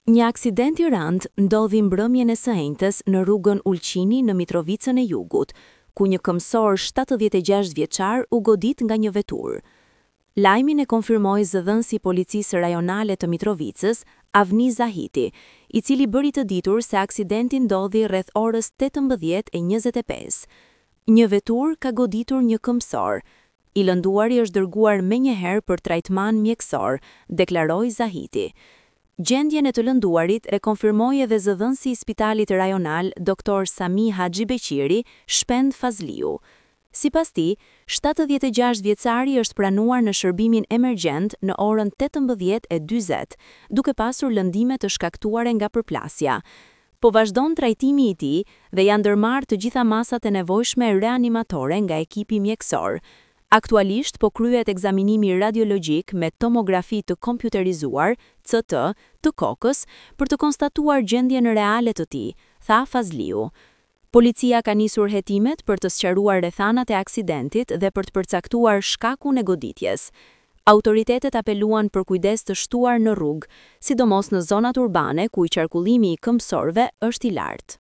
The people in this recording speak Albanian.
Një aksident i rëndë ndodhi mbrëmjen e së enjtes në rrugën Ulqini në Mitrovicën e Jugut, ku një këmbësor 76 vjeçar u godit nga një veturë. Lajmin e konfirmoi zëdhënësi i Policisë Rajonale të Mitrovicës, Avni Zahiti, i cili bëri të ditur se aksidenti ndodhi rreth orës 18:25. Një veturë ka goditur një këmbësor. I lënduari është dërguar menjëherë për trajtman mjekësor, deklaroi Zahiti. Gjendjen e të lënduarit e konfirmoi edhe zëdhënësi i Spitalit Rajonal Doktor Sami Haxhibeqiri, Shpend Fazliu. Sipas tij, 76 vjeçari është pranuar në shërbimin emergjent në orën 18:40, duke pasur lëndime të shkaktuare nga përplasja. Po vazhdon trajtimi i tij dhe janë ndërmarrë të gjitha masat e nevojshme reanimatore nga ekipi mjekësor. Aktualisht po kryhet ekzaminimi radiologjik me tomografi të kompjuterizuar, CT, të kokës për të konstatuar gjendjen reale të tij, tha Fazliu. Policia ka nisur hetimet për të sqaruar rrethanat e aksidentit dhe për të përcaktuar shkakun e goditjes. Autoritetet apeluan për kujdes të shtuar në rrugë, sidomos në zonat urbane ku qarkullimi i këmbësorëve është i lartë.